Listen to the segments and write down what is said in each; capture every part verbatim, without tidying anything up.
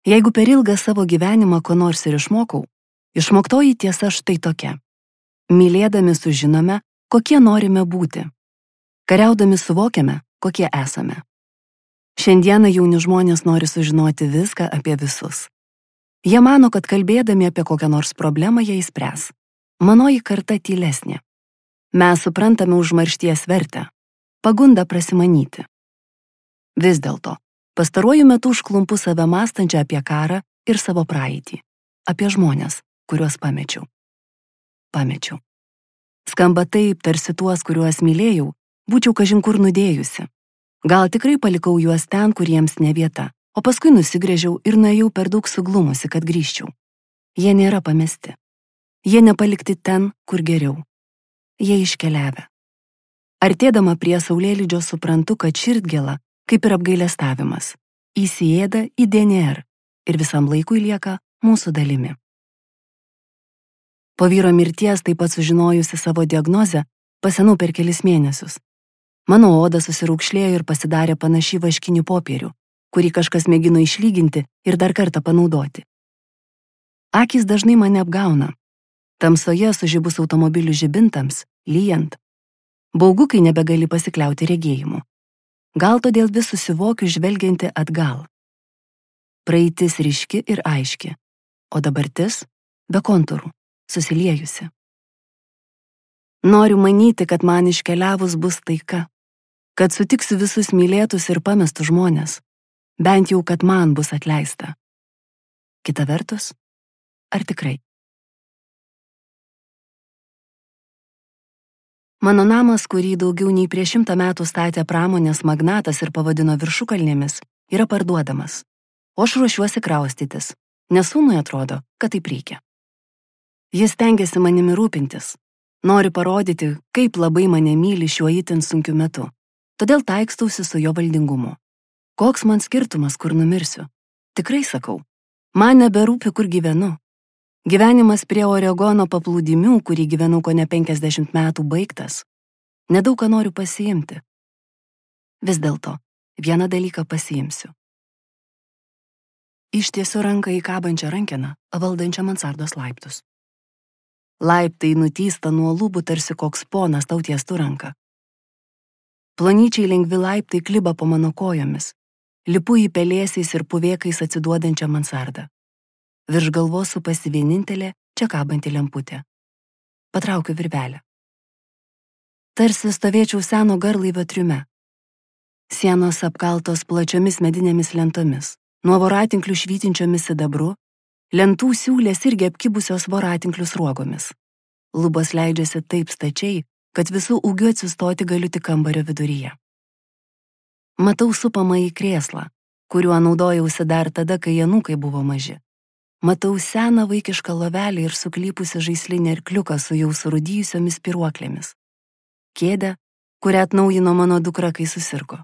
Jeigu per ilgą savo gyvenimą ko nors ir išmokau, išmoktoji tiesa štai tokia. Mylėdami sužinome, kokie norime būti. Kariaudami suvokiame, kokie esame. Šiandieną jauni žmonės nori sužinoti viską apie visus. Jie mano, kad kalbėdami apie kokią nors problemą jie įspręs. Manoji karta tylesnė. Mes suprantame užmaršties vertę, pagundą prasimanyti. Vis dėlto, pastaruoju metu užklumpu save mąstančią apie karą ir savo praeitį, apie žmonės, kuriuos pamečiau. Pamečiau. Skamba taip, tarsi tuos, kuriuos mylėjau, būčiau kažin kur nudėjusi. Gal tikrai palikau juos ten, kur jiems ne vieta, o paskui nusigręžiau ir nuėjau per daug suglumusi, kad grįžčiau. Jie nėra pamesti. Jie nepalikti ten, kur geriau. Jie iškeliavę. Artėdama prie saulėlydžio suprantu, kad širdgėla, kaip ir apgailestavimas, įsiėda į D N R ir visam laikui lieka mūsų dalimi. Po vyro mirties, taip pat sužinojusi savo diagnozę, pasenau per kelis mėnesius. Mano oda susiraukšlėjo ir pasidarė panaši vaškinių popierių, kurį kažkas mėgino išlyginti ir dar kartą panaudoti. Akys dažnai mane apgauna. Tamsoje sužibus automobilių žibintams, lyjant. Baugu, kai nebegali pasikliauti regėjimu. Gal todėl vis susivokiu žvelgianti atgal. Praeitis ryški ir aiški, o dabartis be kontūrų, susiliejusi. Noriu manyti, kad man iškeliavus bus taika, kad sutiksiu visus mylėtus ir pamestus žmonės, bent jau, kad man bus atleista. Kita vertus, ar tikrai? Mano namas, kurį daugiau nei prieš šimtą metų statė pramonės magnatas ir pavadino viršukalnėmis, yra parduodamas. O aš ruošiuosi kraustytis, nes sūnui atrodo, kad taip reikia. Jis stengiasi manimi rūpintis. Nori parodyti, kaip labai mane myli šiuo itin sunkiu metu. Todėl taikstausi su jo valdingumu. Koks man skirtumas, kur numirsiu? Tikrai sakau, man neberūpi, kur gyvenu. Gyvenimas prie Oregono paplūdimių, kurį gyvenau kone penkiasdešimt metų, baigtas. Nedaug ką noriu pasiimti. Vis dėlto, vieną dalyką pasiimsiu. Ištiesiu ranką į kabančią rankeną, valdančią mansardos laiptus. Laiptai nutysta nuo lubų tarsi koks ponas tau tiestų ranką. Plonyčiai lengvi laiptai kliba po mano kojomis. Lipu į pelėsiais ir puvėkais atsiduodančią mansardą. Virš galvos supasi vienintelė čia kabanti lemputė. Patraukiu virvelę. Tarsi stovėčiau seno garlaivio triume. Sienos apkaltos plačiomis medinėmis lentomis, nuo voratinklių švytinčiomis sidabru, lentų siūlės irgi apkibusios voratinklių sruogomis. Lubos leidžiasi taip stačiai, kad visų ūgiu atsistoti galiu tik kambario viduryje. Matau supamą į krėslą, kuriuo naudojausi dar tada, kai anūkai buvo maži. Matau seną vaikišką lovelį ir suklypusi žaislinį arkliuką su jau surūdijusiomis spiruoklėmis. Kėdę, kurią atnaujino mano dukra, kai susirgo.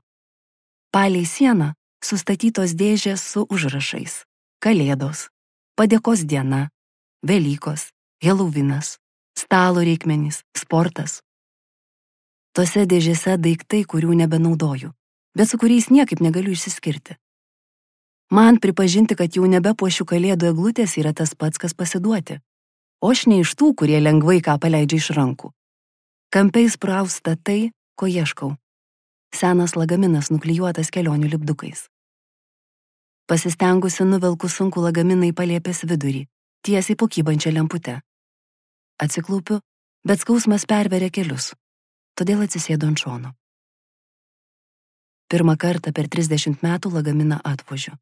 Palei sieną sustatytos dėžės su užrašais. Kalėdos, padėkos diena, Velykos, Helovinas, stalo reikmenys, sportas. Tose dėžėse daiktai, kurių nebenaudoju, bet su kuriais niekaip negaliu išsiskirti. Man pripažinti, kad jau nebepuošiu kalėdų eglutės, yra tas pats, kas pasiduoti. O aš ne iš tų, kurie lengvai ką paleidžia iš rankų. Kampiais prausta tai, ko ieškau. Senas lagaminas nuklijuotas kelionių lipdukais. Pasistengusi nuvelku sunku lagaminą į palėpės vidurį, tiesiai po kybančią lemputę. Atsiklaupiu, bet skausmas perveria kelius, todėl atsisėdu ant šono. Pirmą kartą per trisdešimt metų lagaminą atvožiu.